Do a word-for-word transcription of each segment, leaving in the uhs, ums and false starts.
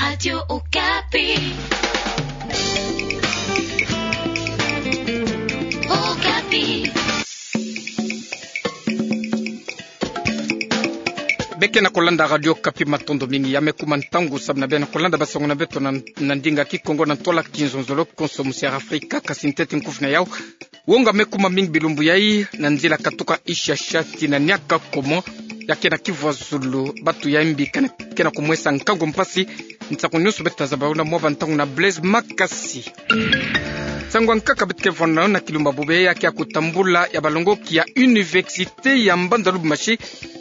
Radio Okapi. Okapi. Beke na kolanda Radio Okapi, matondo mingi. Ya me kuma ntangu samu na beno kolanda basango na beto na, na ndinga Kikongo na ntwala kizonzolo konso musi ya Afrika, kasi ntete nkufi na yau. Wonga me kuma mingi bilumbu yai na nzila katuka Ishasha tii na Niakakoma, ya ke na Kivu ya Zulu, batu ya mbi ke na, ke na kumwesa nkangu mpasi, nsaku nyonso beto ta zaba yo na mwa bantangu na Blaise Makasi. Nsangu ya nkaka beto ke vwanda na kilumba bubu yai ya ke ya kutambula ya balongoki ya Université ya Mbanza Lubumbashi,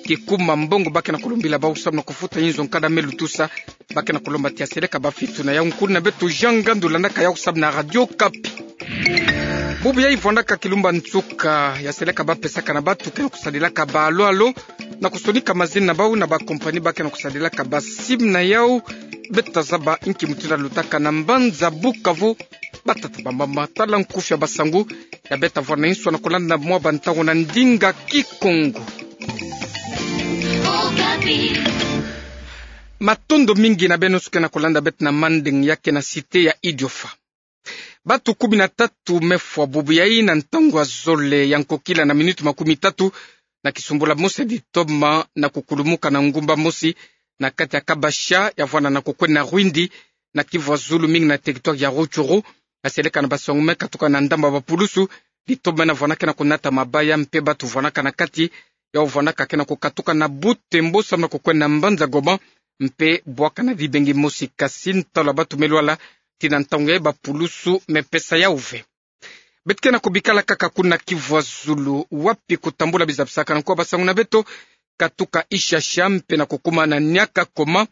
kikuma mbongo ba ke na kulumbila bau samu na kufuta inzo nkada me lutusa, ba ke na kulomba ti ya seleka ba fitu na yau. Nkulu na beto Jean Ngandu landaka yau samu na Radio Okapi. Bubu yai vwandaka kilumba nsuka ya seleka ba pesaka na batu ke na kusadilaka ba alo-alo na kusonika mazina na bau na ba compagnie ba ke na kusadilaka ba simu na yau. Beto ta zaba inki mutindu ya lutaka na mbanza Bukavu. Batata, bamama, tala nkufi ya basangu ya beto ta vwanda na insu na kolanda mwa bantangu na ndinga Kikongo. Matondo mingi na beno nyonso ke na kolanda beto na mandeng ya ke na Cité ya Idiofa. Batu kumi na tatu me fwa bubu yai na ntangu ya zole ya nkokila na minuti makumi tatu, na kisumbula mosi ya ditoma na kukulumuka na ngumba mosi na kati ya Kabasha ya vwanda na kukwenda na Rwindi, na Kivu ya Zulu, mingi na territoire ya Rutshuru. Na seleka na basango me katuka na ndambu ya bapulusu, ditoma na vwanda ke na kunata mabaya mpe batu vwandaka na kati yau vwandaka ke na kukatuka na butembo samu na kukwenda na mbanza Goma, mpe bwaka na dibengi mosi, kasi ntalu ya batu me lwala. Tii na ntangu yai bapulusu me pesa yau ve. Beto ke na kubikala kaka kuna Kivu ya Zulu, wapi kutambula bizapisakanu kwa basango na beto katuka Ishasha mpe na kukuma na Niakakoma,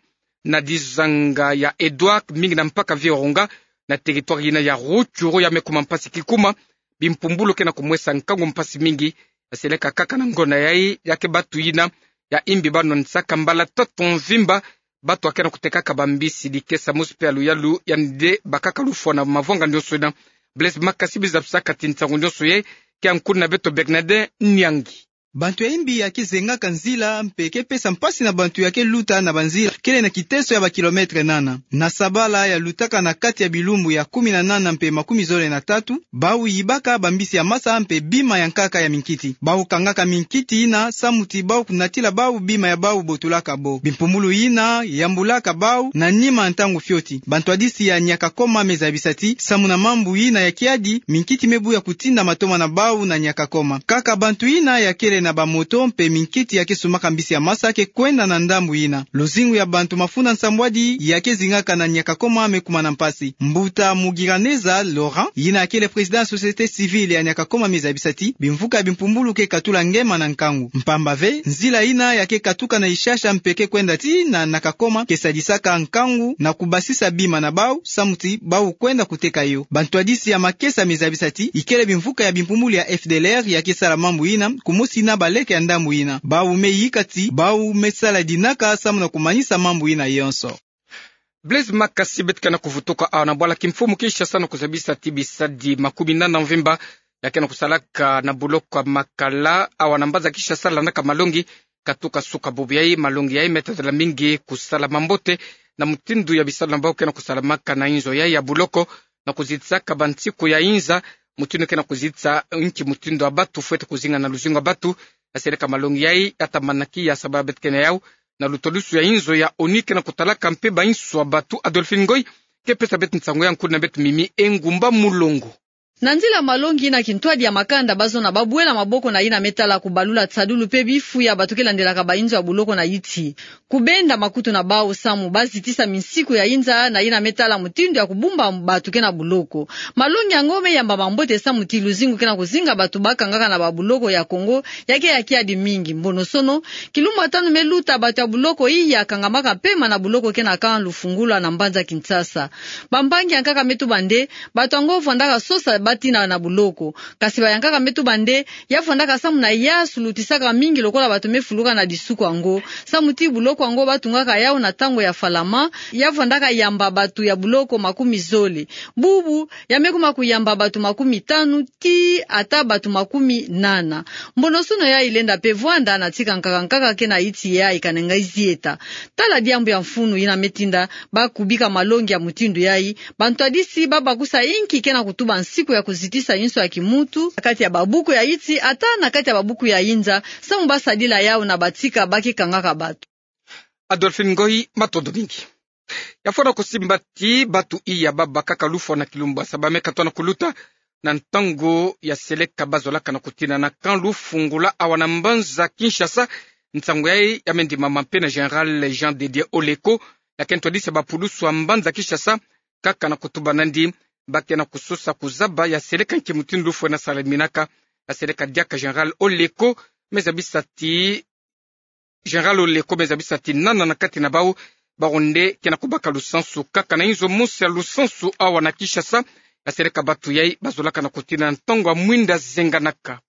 na dizanga ya Edouard, mingi na mpaka Virunga, na territoire yina ya Rutshuru, ya me kuma mpasi kikuma bimpumbulu ke na kumwesa nkangu mpasi mingi. Ya seleka kaka na ngonda yai ya ke batu yina ya imbi ba nwanisaka mbala tatu mvimba batu ya ke na kutekaka bambisi, dikesa mosi mpe ya luyalu, yandi nde bakaka lufwa na mavwanga nyonso yina. Blaise Makasi, bizapisaka ti nsangu nyonso yai ke ya nkulu na beto Bernadin Nyangi. Bantu ya imbi ya ke zengaka nzila mpe ke pesa mpasi na bantu ya ke luta na banzila kele na kiteso ya ba kilomètre nana. Na sabala ya lutaka na kati ya bilumbu ya kumi na nana mpe makumi zole na tatu, bau yibaka bambisi ya masa mpe bima ya nkaka ya minkiti. Bau kangaka minkiti yina samu ti bau kunatila bau bima ya bau botulaka bo. Bimpumbulu yina yambulaka bau na nima ntangu fioti. Bantwadisi ya Niakakoma me zabisa ti samu na mambu yina ya kiadi, minkiti me buya kutinda matoma na bau na Niakakoma. Kaka bantu yina ya kele na bamoto mpe minkiti ya ke sumbaka mbisi ya masa ke kwenda na ndambu yina. Luzingu ya bantu mafunda nsambwadi ya ke zingaka na Niakakoma me kuma na mpasi. Mbuta Mugiraneza Laurent, yina ya kele président ya société civile ya Niakakoma, me zabisa ti bimvuka ya bimpumbulu ke katula ngema na nkangu. Mpamba ve, nzila yina ya ke katuka na Ishasha mpe ke kwenda tii na Niakakoma ke sadisaka nkangu na kubasisa bima na bau samu ti bau kwenda kuteka yo. Bantwadisi ya makesa me zabisa ti ikele bimvuka ya bimpumbulu ya F D L R ya ke sala mambu yina, kumosi na baleke ya ndambu yina. Bau me yika ti bau me sala dinaka samu na kumanisa mambu yina yonso. Blaise Makasi, beto ke na kuvutuka awa na bwala kimfumu Kinshasa na kuzabisa ti bisadi makumi nana mvimba ya ke na kusalaka na buloko ya Makala awa na mbanza Kinshasa landaka malongi katuka suka bubu yai. Malongi yai me tadila mingi kusala mambote na mutindu ya bisalu na bau ke na kusalamaka na inzo yai ya buloko, na kuzitisaka bansiku ya inza, mutindu ke na kuzitisa inki mutindu ya batu fwete kuzinga na luzingu ya batu. Ya seleka malongi yai ya tamana ki ya saba beto ke na yau na lutolusu ya inzo ya ONU ke na kutalaka mpe bainsu ya batu. Adolphine Ngoy ke pesa beto nsangu ya nkulu na beto Mimi Engumba Mulongo. Na nzila malongi yina, kintwadi ya makanda bazo na babwela maboko na yina me tala kubalula tisadulu mpe bifu ya batu ke landelaka bainzo ya buloko na yiti. Kubenda makutu na bau samu ba zitisa minsiku ya inza na yina me tala mutindu ya kubumba batu ke na buloko. Malongi yango me yamba mambote samu ti luzingu ke na kuzinga batu ba kangaka na babuloko ya Congo ya ke ya kiadi mingi. Mbonosono, kilumbu ya tanu me luta, batu ya buloko iya kangamaka mpema na buloko ke na camp Lufungula na mbanza Kinshasa. Bampangi ya nkaka me tuba nde batu yango vwandaka sosa batina na boloko. Kasi bayankaka me tuba nde, ya vwandaka samu na ya sulutisaka mingi lokola bato me fuluka na disuku yango. Samu ti boloko yango batungaka yau na tango ya Falama, ya vwandaka yamba bato ya boloko makumi zole. Bubu, ya me kuma kuyamba bato makumi tanu, tii ata bato makumi nana. Mbonosono yayi lenda pe vwanda na tika nkaka nkaka ke na iti yayi kanenga izieta. Tala diambu ya mfunu yina me tinda ba kubika malongi ya mutindu yayi, bantwadisi ba bakusa inki ke na kutuba nsiku ya kuzitisa inso ya kimuntu, na kati ya babuku ya iti, ata na kati ya babuku ya inza, samu ba sadila yau na batika ba ke kangaka bato. Adolphine Ngoyi, matondo mingi. Ya fwana kusimba ti bato iya ba bakaka lufwa na Kilumbu Asa ba me katwa na kuluta na ntangu ya seleka ba zolaka na kutina na camp Lufungula awa na mbanza Kinshasa. Nsangu yayi ya me ndimama mpe na Général Jean de Dieu Oleko, ya ke ntwadisi ya bapulusu ya mbanza Kinshasa, kaka na kutuba nandi ba ke na kusosa kuzaba ya seleka nki mutindu lufwa ena salaminaka. Ya seleka diaka Général Oleko me zabisa ti Général Oleko me zabisa ti nana na kati na bau, bau nde ke na kubaka lusansu kaka na inzo mosi ya lusansu awa na Kinshasa, ya seleka bato yayi ba zolaka na kutina na ntangu ya mwinda zenganaka.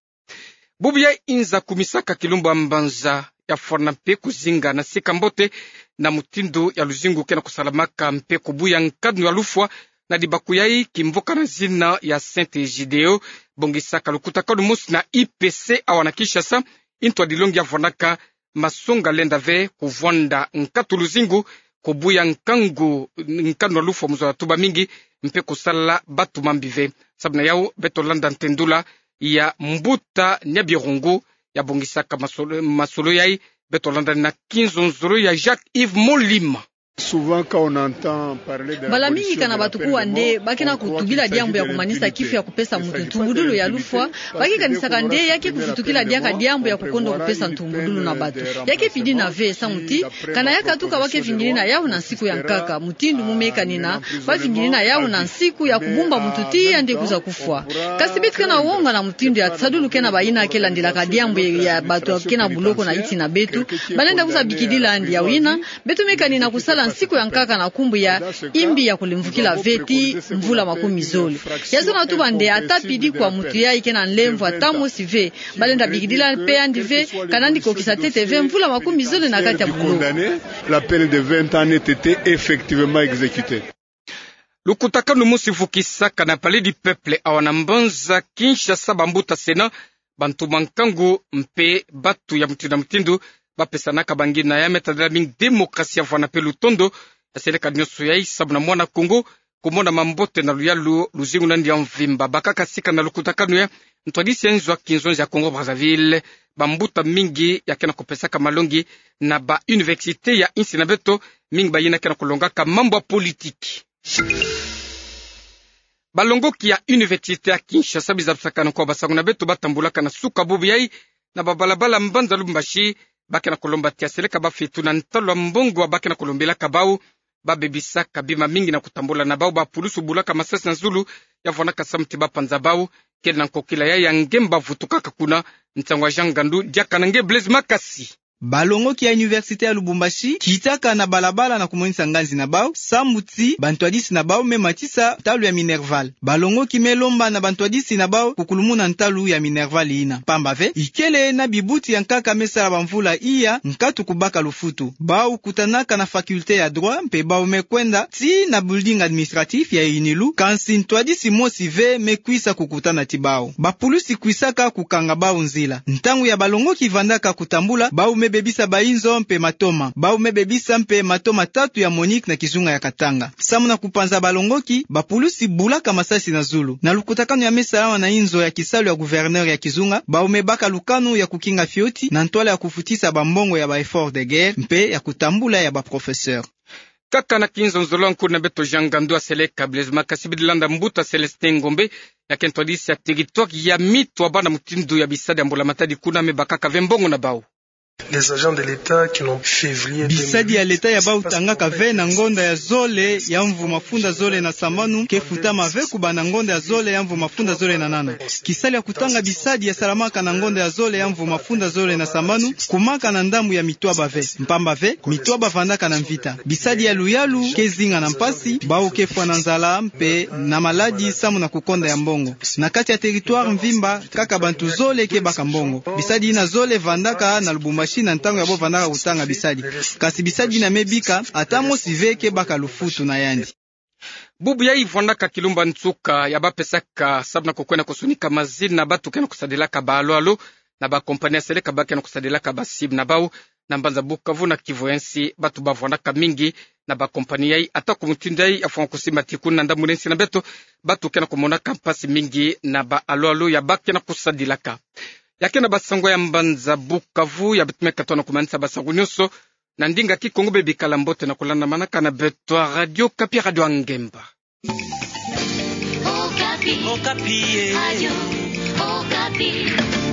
Bubu yayi inza kumisaka Kilumbu ya Mbanza ya fwana mpe kuzinga na sika mbote na mutindu ya luzingu ke na kusalamaka mpe kubuya nkanu ya lufwa na dibaku yayi kimvuka na zina ya Saint Egideo, bongisaka lukutakanu mosi na I P C awa na Kinshasa, intwadilongi ya vwanaka masonga lenda ve kuvwanda nkatu luzingu, kubuya nkangu, nkanu ya lufwa mu zola tuba mingi, mpe kusala bato mambi ve. Samu na yau, beto landa ntendula ya Mbuta Niabirungu, ya bongisaka masolo, masolo yayi, beto landa na kinzonzolo ya Jacques Yves Molima. Mbala mingi kana bato kuwa nde ba ke na kutubila diambu ya kumanisa kifu ya kupesa mutu ntumbudulu ya lufwa, ba ke kanisaka nde ya ke kuvutukila diaka diambu ya kukondo kupesa ntumbudulu na bato. Ya ke pidina ve samu ti, kana ya katuka ba ke vingilina yau na nsiku ya nkaka, mutindu mu me kanina ba vingilina yau na nsiku ya kubumba mutu tii yandi kwiza kufwa. Kasi beto ke na wonga na mutindu ya nsadulu ke na bayina ke landilaka diambu ya bato ke na boloko na iti na beto, ba lenda kwiza bikidila yandi. Yau yina, beto me kanina kusala nsiku ya nkaka na nkumbu ya imbi ya kulemvukila ve tii mvula makumi zole. Ya zona tuba nde ata pidi kwa mutu yayi ke na nlemvo ata mosi ve, ba lenda bikidila mpe yandi ve, kana yandi kokisa ntete ve mvula makumi zole na kati ya boloko. La peine de vingt ans n'ait été effectivement exécutée. Lukutakanu mosi vukisaka na Palais du Peuple awa na mbanza Kinshasa, bambuta Sénat, bantu mankangu mpe batu ya mutindu na mutindu ba pesanaka bangina ya me tadila mingi démocratie ya vwanda mpe lutondo ya seleka nyonso yayi samu na mwana Kongo kumona mambote na luyalu luzingu na yandi ya mvimba. Bakaka sika na lukutakanu yayi, ntwadisi ya nzo ya kinzonzi ya Congo Brazzaville, bambuta mingi ya ke na kupesaka malongi na ba université ya insi na beto, mingi bayina ke na kulongaka mambu ya politique. Balongoki ya université ya Kinshasa, bizabisakana kwa basango na beto, ba tambulaka na suka bubu yayi na babalabala mbanza Lubumbashi, ba ke na kulomba ti ya seleka ba fitu na ntalu ya mbongo ba ke na kulombelaka bau, ba bebisaka bima mingi na kutambula na bau. Bapulusu bulaka masasi na zulu ya vwandaka samu ti ba panza bau. Kele na nkokila yayi ya nge mba vutukaka kuna, nsangu ya Jean Ngandu diaka na nge Blaise Makasi. Balongoki ya université ya Lubumbashi kitaka na balabala na kumonisa nganzi na bau samu ti bantwadisi na bau me matisa ntalu ya Minerval. Balongoki me lomba na bantwadisi na bau kukulumuna ntalu ya Minerval yina, pamba ve ikele na bibuti ya nkaka me sala bamvula iya nkatu kubaka lufutu. Bau kutanaka na faculté ya droit mpe bau me kwenda tii na building administratif ya UNILU, kansi ntwadisi mosi ve me kwisa kukutana ti bau. Bapulusi kwisaka kukanga bau nzila. Ntangu ya balongoki vandaka kutambula, bau me bebisa bainzo mpe matoma. Bau me bebisa mpe matoma tatu ya MONUC na kizunga ya Katanga. Samu na kupanza balongoki, bapulusi bulaka masasi na zulu. Na lukutakanu ya me salama na inzo ya kisalu ya gouverneur ya kizunga, bau me baka lukanu ya kukinga fioti na ntwala ya kufutisa bambongo ya ba effort de guerre mpe ya kutambula ya ba professeur. Kaka na kinzonzolo, nkulu na beto Jean Ngandu aseleka Blaise Makasi, bidi landa mbuta Célestin Ngombe, ya ke ntwadisi ya territoire ya Mitwaba, na mutindu ya bisadi ya mbula matadi kuna me bakaka ve mbongo na bau. Les agents de l'État qui n'ont février. Bisadi ya leta ya bau tangaka ve na ngonda ya zole ya mvu mafunda zole na sambanu ke futama ve kubanda ngonda ya zole ya mvu mafunda zole na nana. Kisalu ya kutanga bisadi ya salamaka na ngonda ya zole ya mvu mafunda zole na sambanu kumaka na ndambu ya mitwaba ve, mpamba ve mitwaba vandaka na mvita. Bisadi ya luyalu ke zinga na mpasi, bau ke fwa na nzala mpe na maladi samu na kukonda ya mbongo. Na kati ya territoire mvimba, kaka bantu zole ke baka mbongo. Bisadi ina zole vandaka na Lubumbashi na ntangu ya bo vandaka kutanga bisadi. Kasi bisadi ina me bika, ata mosi ve ke baka lufutu na yandi. Bubu yayi vandaka kilumba nsuka ya bapesaka sabu na kukwenda kusunika mazina na bantu ke na kusadilaka ba alo-alo na ba compagnie ya seleka ba ke na kusadilaka ba SIM na bau. Na mbanza Bukavu na Kivu ya nsi, bantu bavandaka mingi na ba compagnie yayi, ata ku mutindu yayi ya fwanga kusimba tikunu na ndambu na nsi na beto, bantu ke na kumonaka mpasi mingi na ba alo-alo ya ba ke na kusadilaka. Ya ke na ba sango ya mbanza Bukavu ya beto me katono kumanisa ba sango nyonso na ndinga Kikongo. Bebikala mbote na kulandamanaka na beto ya Radio Okapi, Radio ya Ngemba. Okapi. Okapi, eh. Radio Okapi.